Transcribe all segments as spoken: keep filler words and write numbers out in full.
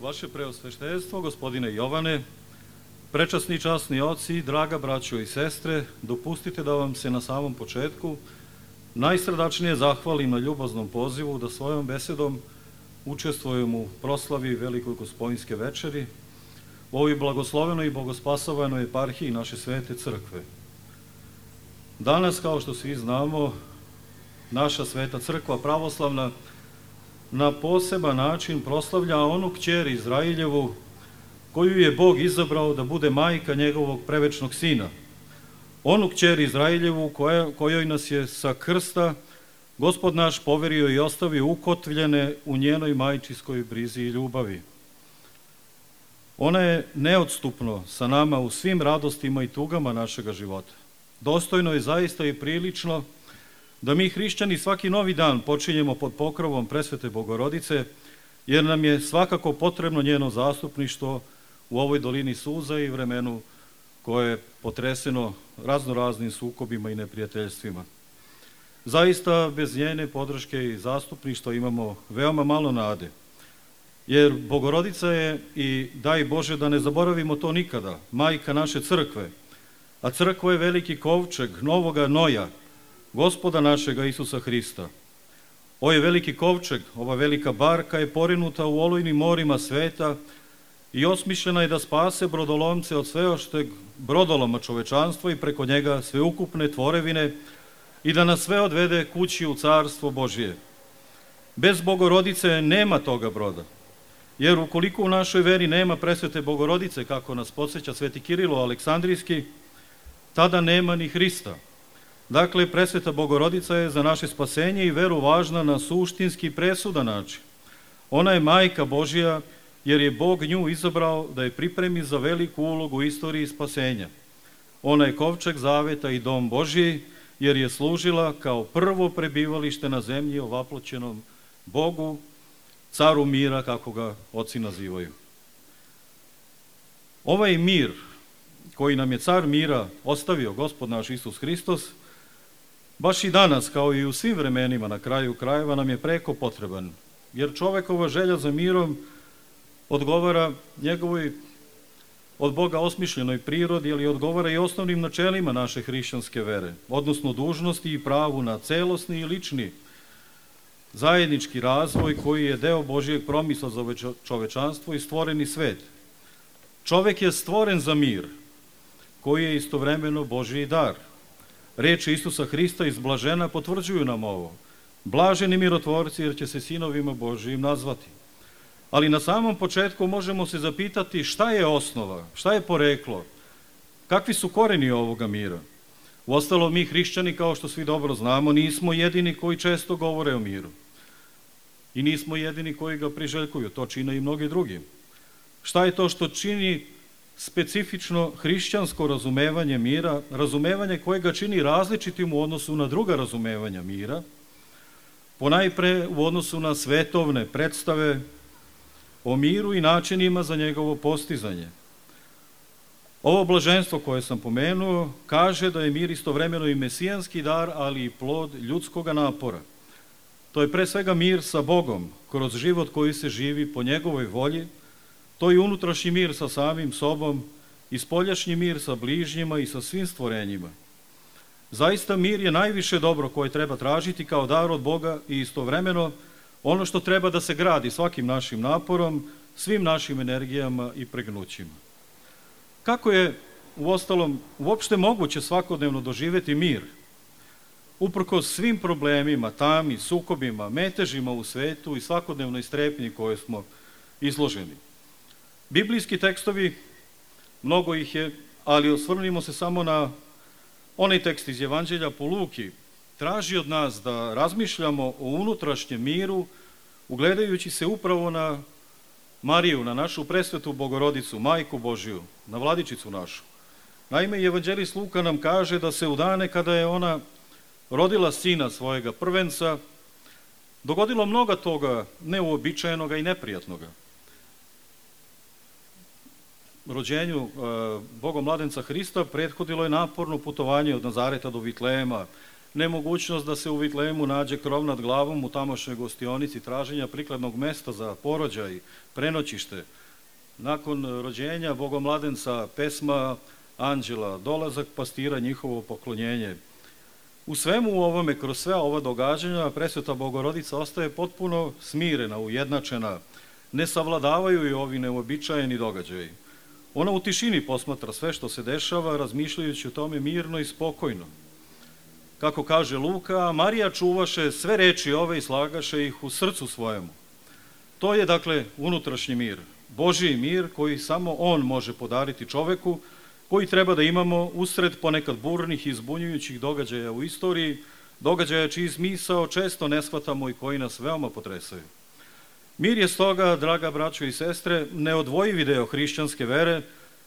Vaše preosveštenstvo, gospodine Jovane, prečasni časni oci, draga braćo i sestre, dopustite da vam se na samom početku najsrdačnije zahvalim na ljubaznom pozivu da svojom besedom učestvujem u proslavi Velikoj Gospodinjske večeri u ovoj blagoslovenoj i bogospasovanoj eparhiji naše svete crkve. Danas, kao što svi znamo, naša sveta crkva pravoslavna na poseban način proslavlja onu kćer Izrailjevu koju je Bog izabrao da bude majka njegovog prevečnog sina. Onu kćer Izrailjevu koja, kojoj nas je sa krsta Gospod naš poverio i ostavio ukotvljene u njenoj majčinskoj brizi i ljubavi. Ona je neodstupno sa nama u svim radostima i tugama našega života. Dostojno je zaista i prilično da mi hrišćani svaki novi dan počinjemo pod pokrovom presvete Bogorodice, jer nam je svakako potrebno njeno zastupništvo u ovoj dolini suza i vremenu koje je potreseno raznoraznim sukobima i neprijateljstvima. Zaista bez njene podrške i zastupništva imamo veoma malo nade, jer Bogorodica je, i daj Bože da ne zaboravimo to nikada, majka naše crkve, a crkva je veliki kovčeg novoga noja, Gospoda našega Isusa Hrista. Ovaj veliki kovčeg, ova velika barka je porinuta u olujnim morima sveta i osmišljena je da spase brodolomce od sveošteg brodoloma čovečanstva i preko njega sveukupne tvorevine i da nas sve odvede kući u carstvo Božije. Bez Bogorodice nema toga broda, jer ukoliko u našoj veri nema presvete Bogorodice, kako nas podsjeća sveti Kirilo Aleksandrijski, tada nema ni Hrista. Dakle, presveta Bogorodica je za naše spasenje i veru važna na suštinski presudan način. Ona je majka Božija, jer je Bog nju izabrao da je pripremi za veliku ulogu u istoriji spasenja. Ona je kovčeg zaveta i dom Božiji, jer je služila kao prvo prebivalište na zemlji ovaploćenom Bogu, caru mira, kako ga oci nazivaju. Ovaj mir koji nam je car mira ostavio Gospod naš Isus Hristos, baš i danas, kao i u svim vremenima na kraju krajeva, nam je preko potreban, jer čovekova želja za mirom odgovara njegovoj od Boga osmišljenoj prirodi, ali odgovara i osnovnim načelima naše hrišćanske vere, odnosno dužnosti i pravu na celosni i lični zajednički razvoj koji je deo Božijeg promisla za čovečanstvo i stvoreni svet. Čovek je stvoren za mir, koji je istovremeno Božiji dar. Reči Isusa Hrista iz Blažena potvrđuju nam ovo. Blaženi mirotvorci, jer će se sinovima Božijim nazvati. Ali na samom početku možemo se zapitati šta je osnova, šta je poreklo, kakvi su koreni ovoga mira. Uostalom, mi hrišćani, kao što svi dobro znamo, nismo jedini koji često govore o miru. I nismo jedini koji ga priželjkuju, to čine i mnogi drugi. Šta je to što čini specifično hrišćansko razumevanje mira, razumevanje koje ga čini različitim u odnosu na druga razumevanja mira, ponajpre u odnosu na svetovne predstave o miru i načinima za njegovo postizanje. Ovo blaženstvo koje sam pomenuo kaže da je mir istovremeno i mesijanski dar, ali i plod ljudskoga napora. To je pre svega mir sa Bogom, kroz život koji se živi po njegovoj volji. To je unutrašnji mir sa samim sobom i spoljašnji mir sa bližnjima i sa svim stvorenjima. Zaista mir je najviše dobro koje treba tražiti kao dar od Boga i istovremeno ono što treba da se gradi svakim našim naporom, svim našim energijama i pregnućima. Kako je, uostalom, uopšte moguće svakodnevno doživeti mir? Uprkos svim problemima, tami, sukobima, metežima u svetu i svakodnevnoj strepnji koje smo izloženi. Biblijski tekstovi, mnogo ih je, ali osvrnimo se samo na onaj tekst iz Evanđelja po Luki, traži od nas da razmišljamo o unutrašnjem miru, ugledajući se upravo na Mariju, na našu presvetu Bogorodicu, Majku Božiju, na Vladičicu našu. Naime, Evanđelist Luka nam kaže da se u dane kada je ona rodila sina svojega prvenca, dogodilo mnogo toga neuobičajenoga i neprijatnoga. Rođenju Bogomladenca Hrista prethodilo je naporno putovanje od Nazareta do Vitlejema, nemogućnost da se u Vitlejemu nađe krov nad glavom u tamošnjoj gostionici, traženja prikladnog mesta za porođaj, prenoćište, nakon rođenja bogomladenca, pesma anđela, dolazak pastira, njihovo poklonjenje. U svemu ovome, kroz sve ova događanja, presveta Bogorodica ostaje potpuno smirena, ujednačena, ne savladavaju i ovi neobičajeni događaji. Ona u tišini posmatra sve što se dešava, razmišljajući o tome mirno i spokojno. Kako kaže Luka, Marija čuvaše sve reči ove i slagaše ih u srcu svojemu. To je, dakle, unutrašnji mir, Božji mir koji samo On može podariti čoveku, koji treba da imamo usred ponekad burnih i zbunjujućih događaja u istoriji, događaja čiji smisao često ne shvatamo i koji nas veoma potresaju. Mir je stoga, draga braćo i sestre, neodvojivi deo hrišćanske vere,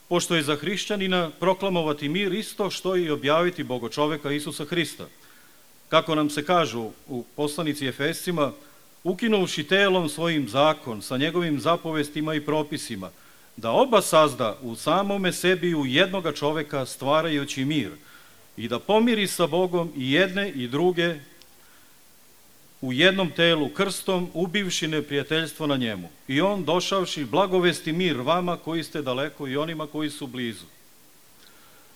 pošto je za hrišćanina proklamovati mir isto što i objaviti Bogočoveka Isusa Hrista. Kako nam se kažu u poslanici Efescima, ukinuvši telom svojim zakon sa njegovim zapovestima i propisima, da oba sazda u samome sebi u jednoga čoveka stvarajući mir i da pomiri sa Bogom i jedne i druge u jednom telu krstom, ubivši neprijateljstvo na njemu. I on došavši blagovesti mir vama koji ste daleko i onima koji su blizu.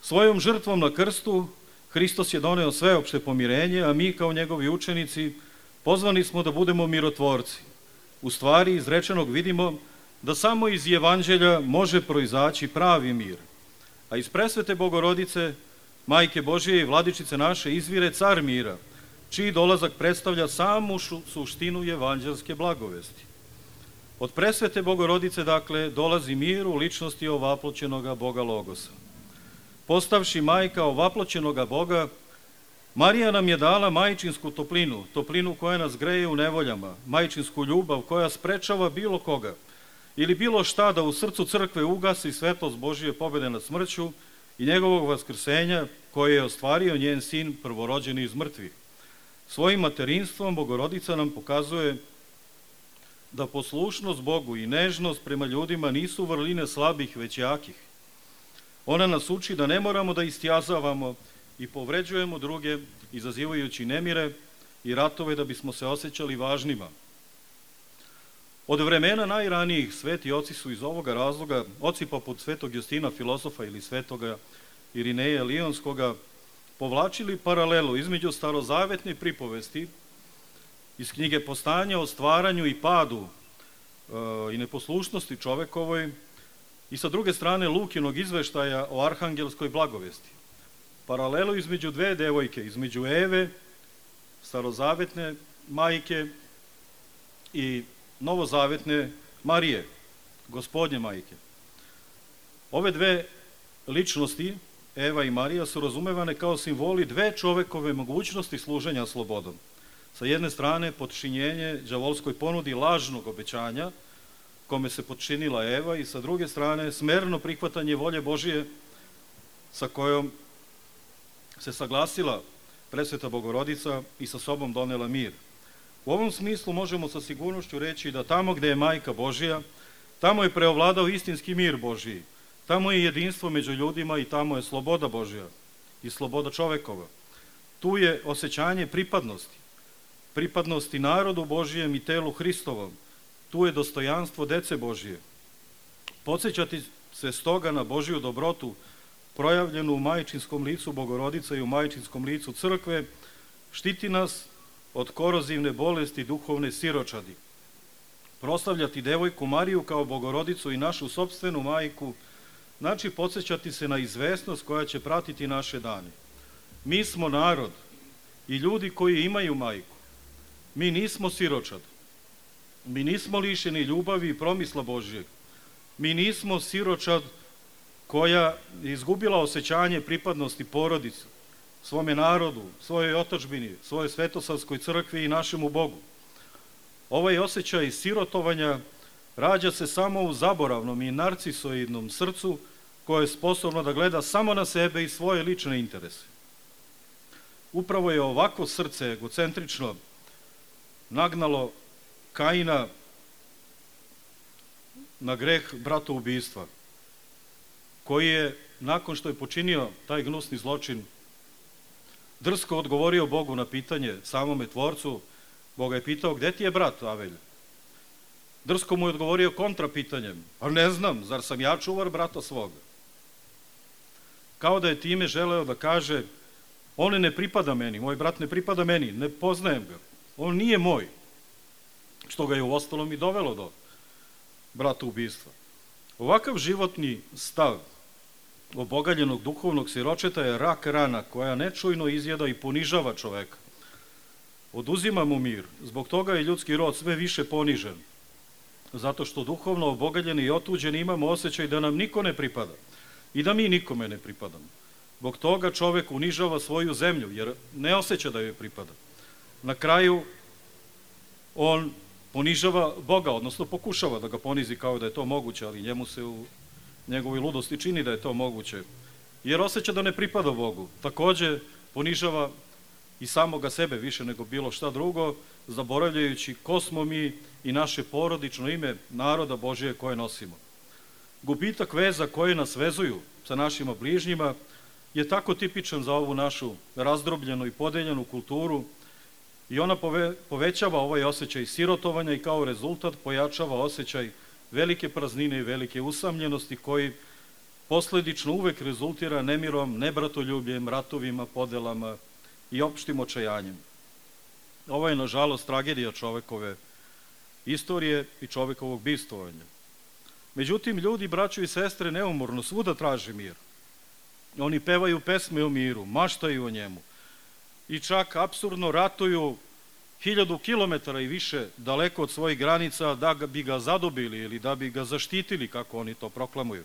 Svojom žrtvom na krstu Hristos je doneo sveopšte pomirenje, a mi kao njegovi učenici pozvani smo da budemo mirotvorci. U stvari iz rečenog vidimo da samo iz Evanđelja može proizaći pravi mir. A iz presvete Bogorodice, Majke Božije i Vladičice naše, izvire car mira, čiji dolazak predstavlja samu suštinu evanđelske blagovesti. Od presvete Bogorodice, dakle, dolazi mir u ličnosti ovaploćenoga Boga Logosa. Postavši majka ovaploćenoga Boga, Marija nam je dala majčinsku toplinu, toplinu koja nas greje u nevoljama, majčinsku ljubav koja sprečava bilo koga ili bilo šta da u srcu crkve ugasi svetlost Božije pobede nad smrću i njegovog vaskrsenja koje je ostvario njen sin prvorođeni iz mrtvih. Svojim materinstvom Bogorodica nam pokazuje da poslušnost Bogu i nežnost prema ljudima nisu vrline slabih, već jakih. Ona nas uči da ne moramo da istjazavamo i povređujemo druge, izazivajući nemire i ratove da bismo se osjećali važnima. Od vremena najranijih sveti oci su iz ovoga razloga, oci poput svetog Justina filosofa ili svetoga Irineja Lionskoga, povlačili paralelu između starozavetne pripovesti iz knjige Postanja o stvaranju i padu e, i neposlušnosti čovekovoj i sa druge strane Lukinog izveštaja o arhangelskoj blagovesti. Paralelu između dve devojke, između Eve, starozavetne majke i novozavetne Marije, Gospodnje majke. Ove dve ličnosti, Eva i Marija, su razumevane kao simboli dve čovekove mogućnosti služenja slobodom. Sa jedne strane, potčinjenje đavolskoj ponudi lažnog obećanja, kome se potčinila Eva, i sa druge strane, smerno prihvatanje volje Božije sa kojom se saglasila presveta Bogorodica i sa sobom donela mir. U ovom smislu možemo sa sigurnošću reći da tamo gde je Majka Božija, tamo je preovladao istinski mir Božiji, tamo je jedinstvo među ljudima i tamo je sloboda Božja i sloboda čovekova. Tu je osjećanje pripadnosti, pripadnosti narodu Božijem i telu Hristovom, tu je dostojanstvo dece Božije. Podsećati se stoga na Božiju dobrotu, projavljenu u majčinskom licu Bogorodica i u majčinskom licu crkve, štiti nas od korozivne bolesti duhovne siročadi. Proslavljati devojku Mariju kao Bogorodicu i našu sopstvenu majku, znači podsećati se na izvesnost koja će pratiti naše dane. Mi smo narod i ljudi koji imaju majku. Mi nismo siročad. Mi nismo lišeni ljubavi i promisla Božjeg. Mi nismo siročad koja je izgubila osjećanje pripadnosti porodici, svome narodu, svojoj otadžbini, svojoj svetosavskoj crkvi i našemu Bogu. Ovaj osjećaj sirotovanja rađa se samo u zaboravnom i narcisoidnom srcu koje je sposobno da gleda samo na sebe i svoje lične interese. Upravo je ovako srce egocentrično nagnalo Kaina na greh bratoubistva, koji je, nakon što je počinio taj gnusni zločin, drsko odgovorio Bogu na pitanje, samome tvorcu. Boga je pitao, gde ti je brat Avelj? Drsko mu je odgovorio kontra pitanjem, a ne znam, zar sam ja čuvar brata svoga? Kao da je time želeo da kaže, on ne pripada meni, moj brat ne pripada meni, ne poznajem ga, on nije moj, što ga je u ostalom i dovelo do brata ubistva. Ovakav životni stav obogaljenog duhovnog siročeta je rak rana koja nečujno izjeda i ponižava čoveka. Oduzima mu mir, zbog toga je ljudski rod sve više ponižen, zato što duhovno obogaljeni i otuđeni imamo osjećaj da nam niko ne pripada i da mi nikome ne pripadamo. Zbog toga čovek unižava svoju zemlju, jer ne osjeća da joj pripada. Na kraju on ponižava Boga, odnosno pokušava da ga ponizi kao da je to moguće, ali njemu se u njegovoj ludosti čini da je to moguće, jer osjeća da ne pripada Bogu. Takođe ponižava i samoga sebe više nego bilo šta drugo, zaboravljajući ko smo mi i naše porodično ime naroda Božije koje nosimo. Gubitak veza koje nas vezuju sa našima bližnjima je tako tipičan za ovu našu razdrobljenu i podeljenu kulturu i ona pove, povećava ovaj osjećaj sirotovanja i kao rezultat pojačava osjećaj velike praznine i velike usamljenosti koji posledično uvek rezultira nemirom, nebratoljubljem, ratovima, podelama i opštim očajanjem. Ovo je, nažalost, tragedija čovekove istorije i čovekovog bivstvovanja. Međutim, ljudi, braćo i sestre, neumorno svuda traže mir. Oni pevaju pesme o miru, maštaju o njemu i čak apsurdno ratuju hiljadu kilometara i više daleko od svojih granica da bi ga zadobili ili da bi ga zaštitili, kako oni to proklamuju.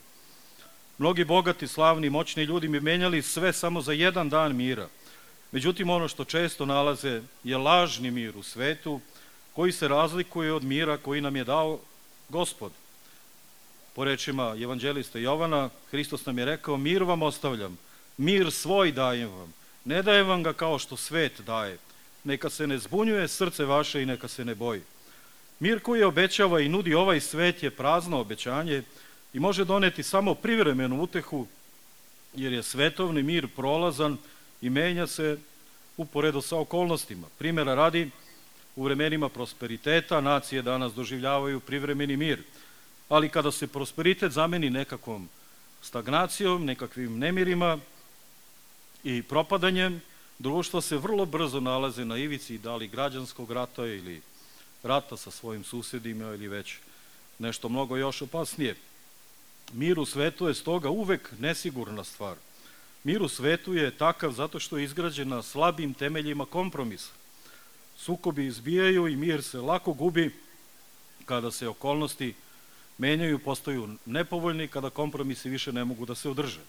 Mnogi bogati, slavni, moćni ljudi bi menjali sve samo za jedan dan mira. Međutim, ono što često nalaze je lažni mir u svetu koji se razlikuje od mira koji nam je dao Gospod. Po rečima evanđelista Jovana, Hristos nam je rekao, mir vam ostavljam, mir svoj dajem vam, ne dajem vam ga kao što svet daje. Neka se ne zbunjuje srce vaše i neka se ne boji. Mir koji obećava i nudi ovaj svet je prazno obećanje i može doneti samo privremenu utehu, jer je svetovni mir prolazan i menja se uporedo sa okolnostima. Primjera radi, u vremenima prosperiteta nacije danas doživljavaju privremeni mir, ali kada se prosperitet zameni nekakvom stagnacijom, nekakvim nemirima i propadanjem, društva se vrlo brzo nalaze na ivici da li građanskog rata ili rata sa svojim susedima ili već nešto mnogo još opasnije. Mir u svetu je stoga uvek nesigurna stvar. Mir u svetu je takav zato što je izgrađen na slabim temeljima kompromisa. Sukobi izbijaju i mir se lako gubi kada se okolnosti menjaju, postaju nepovoljni, kada kompromisi više ne mogu da se održe.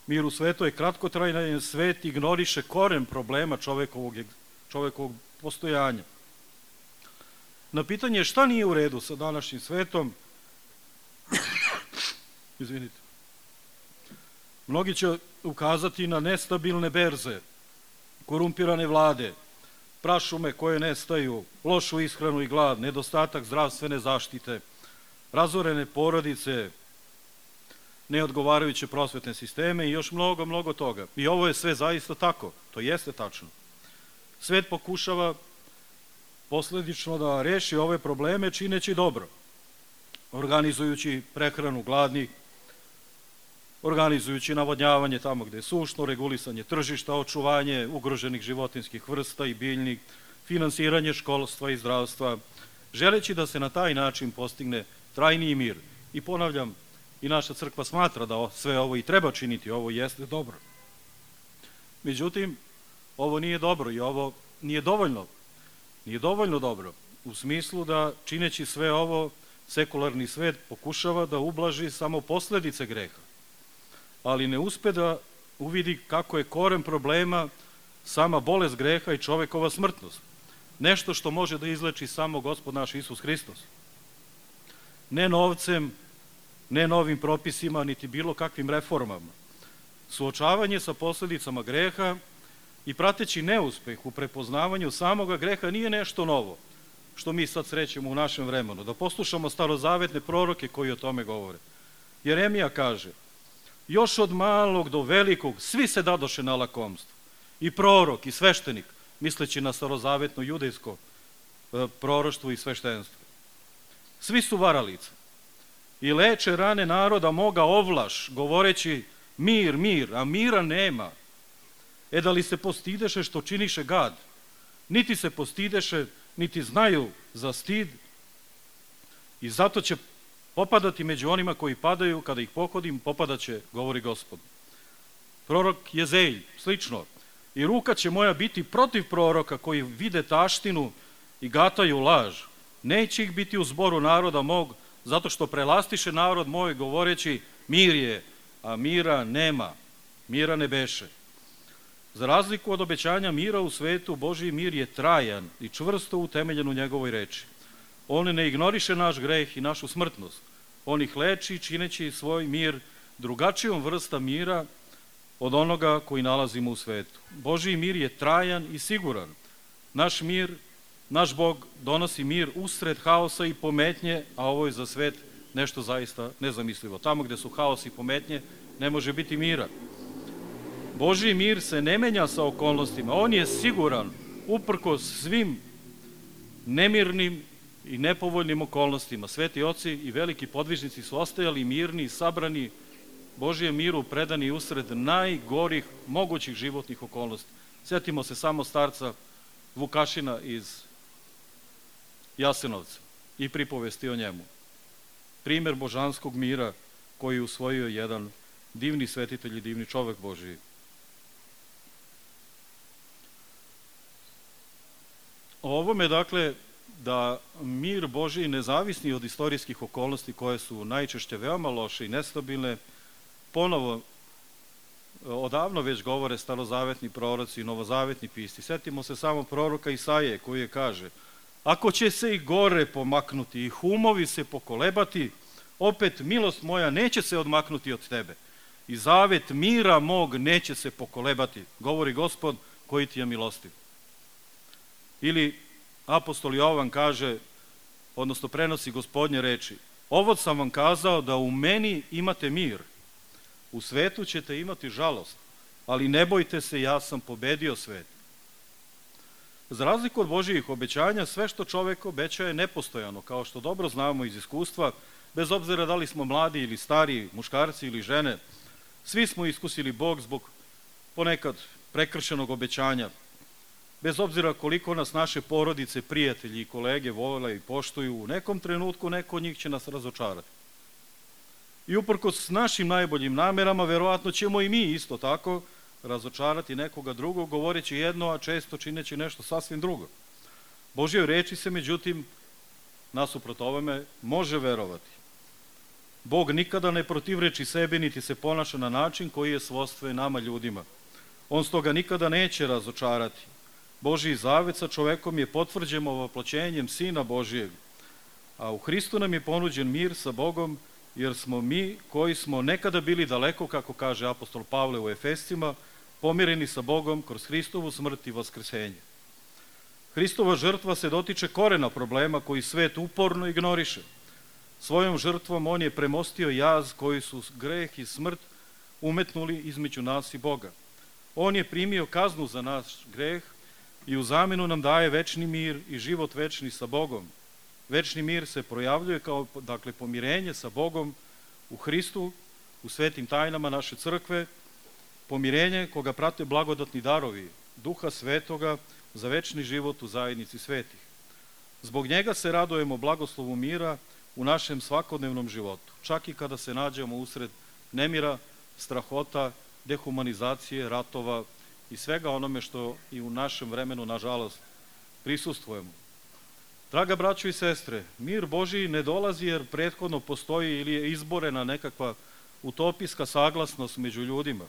Mir u svetu je kratkotrajan, jer svet ignoriše koren problema čovekovog, čovekovog postojanja. Na pitanje šta nije u redu sa današnjim svetom, izvinite, mnogi će ukazati na nestabilne berze, korumpirane vlade, prašume koje nestaju, lošu ishranu i glad, nedostatak zdravstvene zaštite, razorene porodice, neodgovarajuće prosvetne sisteme i još mnogo, mnogo toga. I ovo je sve zaista tako, to jeste tačno. Svet pokušava posledično da reši ove probleme čineći dobro, organizujući prehranu gladnih, organizujući navodnjavanje tamo gde je sušno, regulisanje tržišta, očuvanje ugroženih životinskih vrsta i biljnih, finansiranje školstva i zdravstva, želeći da se na taj način postigne trajniji mir. I ponavljam, i naša crkva smatra da sve ovo i treba činiti, ovo jeste dobro. Međutim, ovo nije dobro i ovo nije dovoljno. Nije dovoljno dobro, u smislu da čineći sve ovo, sekularni svet pokušava da ublaži samo posledice greha, ali ne uspe da uvidi kako je koren problema sama bolest greha i čovekova smrtnost. Nešto što može da izleči samo Gospod naš Isus Hristos. Ne novcem, ne novim propisima, niti bilo kakvim reformama. Suočavanje sa posledicama greha i prateći neuspeh u prepoznavanju samoga greha nije nešto novo, što mi sad srećemo u našem vremenu. Da poslušamo starozavetne proroke koji o tome govore. Jeremija kaže, još od malog do velikog svi se dadoše na lakomstvo i prorok, i sveštenik, misleći na starozavetno judejsko proroštvo i sveštenstvo. Svi su varalice i leče rane naroda moga ovlaš, govoreći mir, mir, a mira nema. E da li se postideše što činiše gad? Niti se postideše, niti znaju za stid i zato će popadati među onima koji padaju, kada ih pohodim, popadaće, govori Gospod. Prorok Jezeilj, slično, i ruka će moja biti protiv proroka koji vide taštinu i gataju laž. Neće ih biti u zboru naroda mog, zato što prelastiše narod moj govoreći mir je, a mira nema, mira ne beše. Za razliku od obećanja mira u svetu, Božji mir je trajan i čvrsto utemeljen u njegovoj reči. On ne ignoriše naš greh i našu smrtnost. On ih leči čineći svoj mir drugačijom vrsta mira od onoga koji nalazimo u svetu. Božji mir je trajan i siguran. Naš mir, naš Bog donosi mir usred haosa i pometnje, a ovo je za svet nešto zaista nezamislivo. Tamo gde su haos i pometnje ne može biti mira. Božji mir se ne menja sa okolnostima. On je siguran uprkos svim nemirnim i nepovoljnim okolnostima. Sveti oci i veliki podvižnici su ostajali mirni i sabrani Božijem miru, predani usred najgorih mogućih životnih okolnosti. Sjetimo se samo starca Vukašina iz Jasenovca i pripovesti o njemu. Primer božanskog mira koji je usvojio jedan divni svetitelj i divni čovek Božiji. O ovome, dakle, da mir Božiji nezavisni od istorijskih okolnosti koje su najčešće veoma loše i nestabilne, ponovo odavno već govore starozavetni proroci i novozavetni pisci. Sjetimo se samo proroka Isaije koji je kaže: ako će se i gore pomaknuti i humovi se pokolebati, opet milost moja neće se odmaknuti od tebe i zavet mira mog neće se pokolebati, govori Gospod koji ti je milostiv. Ili apostol Jovan kaže, odnosno prenosi Gospodnje reči: ovo sam vam kazao da u meni imate mir, u svetu ćete imati žalost, ali ne bojte se, ja sam pobedio svet. Za razliku od Božijih obećanja, sve što čovek obeća je nepostojano, kao što dobro znamo iz iskustva, bez obzira da li smo mladi ili stari, muškarci ili žene, svi smo iskusili Bog zbog ponekad prekršenog obećanja, bez obzira koliko nas naše porodice, prijatelji i kolege vole i poštuju, u nekom trenutku neko od njih će nas razočarati. I uprkos našim najboljim namerama, verovatno ćemo i mi isto tako razočarati nekoga drugog, govoreći jedno, a često čineći nešto sasvim drugo. Božjoj reči se, međutim, nasuprot ovome, može verovati. Bog nikada ne protivreči sebi, niti se ponaša na način koji je svojstven nama ljudima. On stoga nikada neće razočarati. Božji zavet sa čovekom je potvrđen ovoploćenjem Sina Božijeg, a u Hristu nam je ponuđen mir sa Bogom, jer smo mi, koji smo nekada bili daleko, kako kaže apostol Pavle u Efescima, pomireni sa Bogom kroz Hristovu smrt i vaskrsenje. Hristova žrtva se dotiče korena problema koji svet uporno ignoriše. Svojom žrtvom on je premostio jaz koji su greh i smrt umetnuli između nas i Boga. On je primio kaznu za naš greh i u zamenu nam daje večni mir i život večni sa Bogom. Večni mir se projavljuje kao, dakle, pomirenje sa Bogom u Hristu, u svetim tajnama naše crkve, pomirenje koga prate blagodatni darovi Duha Svetoga za večni život u zajednici svetih. Zbog njega se radujemo blagoslovu mira u našem svakodnevnom životu, čak i kada se nađemo usred nemira, strahota, dehumanizacije, ratova i svega onome što i u našem vremenu, nažalost, prisustvujemo. Draga braćo i sestre, mir Božiji ne dolazi jer prethodno postoji ili je izborena nekakva utopijska saglasnost među ljudima.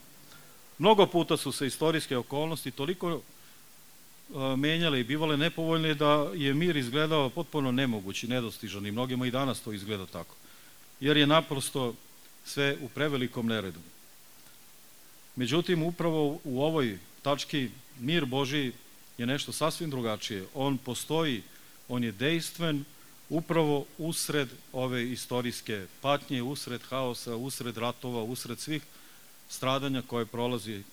Mnogo puta su se istorijske okolnosti toliko menjale i bivale nepovoljne da je mir izgledao potpuno nemoguć i nedostižan i mnogima i danas to izgleda tako, jer je naprosto sve u prevelikom neredu. Međutim, upravo u ovoj tački mir Božiji je nešto sasvim drugačije. On postoji, on je dejstven upravo usred ove istorijske patnje, usred haosa, usred ratova, usred svih stradanja koje prolazi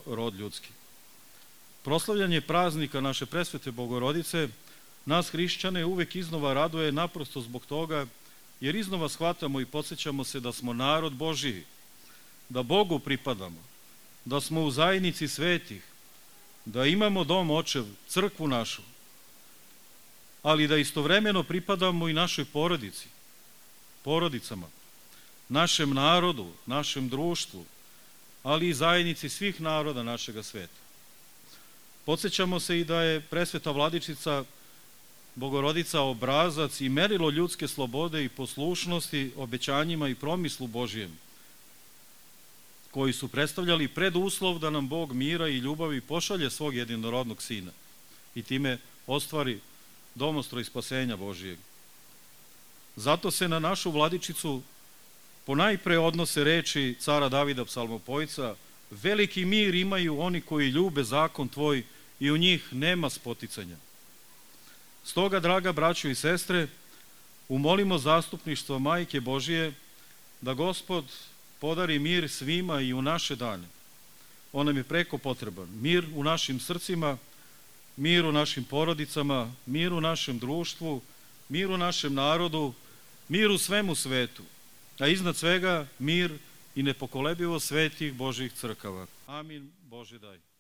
rod ljudski. Proslavljanje praznika naše presvete Bogorodice nas hrišćane uvek iznova raduje naprosto zbog toga, jer iznova shvatamo i podsjećamo se da smo narod Božiji, da Bogu pripadamo, da smo u zajednici svetih, da imamo dom očev, crkvu našu, ali da istovremeno pripadamo i našoj porodici, porodicama, našem narodu, našem društvu, ali i zajednici svih naroda našega sveta. Podsjećamo se i da je presveta Vladičica Bogorodica obrazac i merilo ljudske slobode i poslušnosti obećanjima i promislu Božijem, koji su predstavljali preduslov da nam Bog mira i ljubavi pošalje svog jedinorodnog Sina i time ostvari domostroj spasenja Božijeg. Zato se na našu Vladičicu ponajpre odnose reči cara Davida psalmopojca: veliki mir imaju oni koji ljube zakon tvoj i u njih nema spoticanja. Stoga, draga braćo i sestre, umolimo zastupništvo Majke Božije da Gospod podari mir svima i u naše dane. On nam je preko potreban. Mir u našim srcima, mir u našim porodicama, mir u našem društvu, mir u našem narodu, mir u svemu svetu, a iznad svega mir i nepokolebivo svetih Božjih crkava. Amin. Bože daj.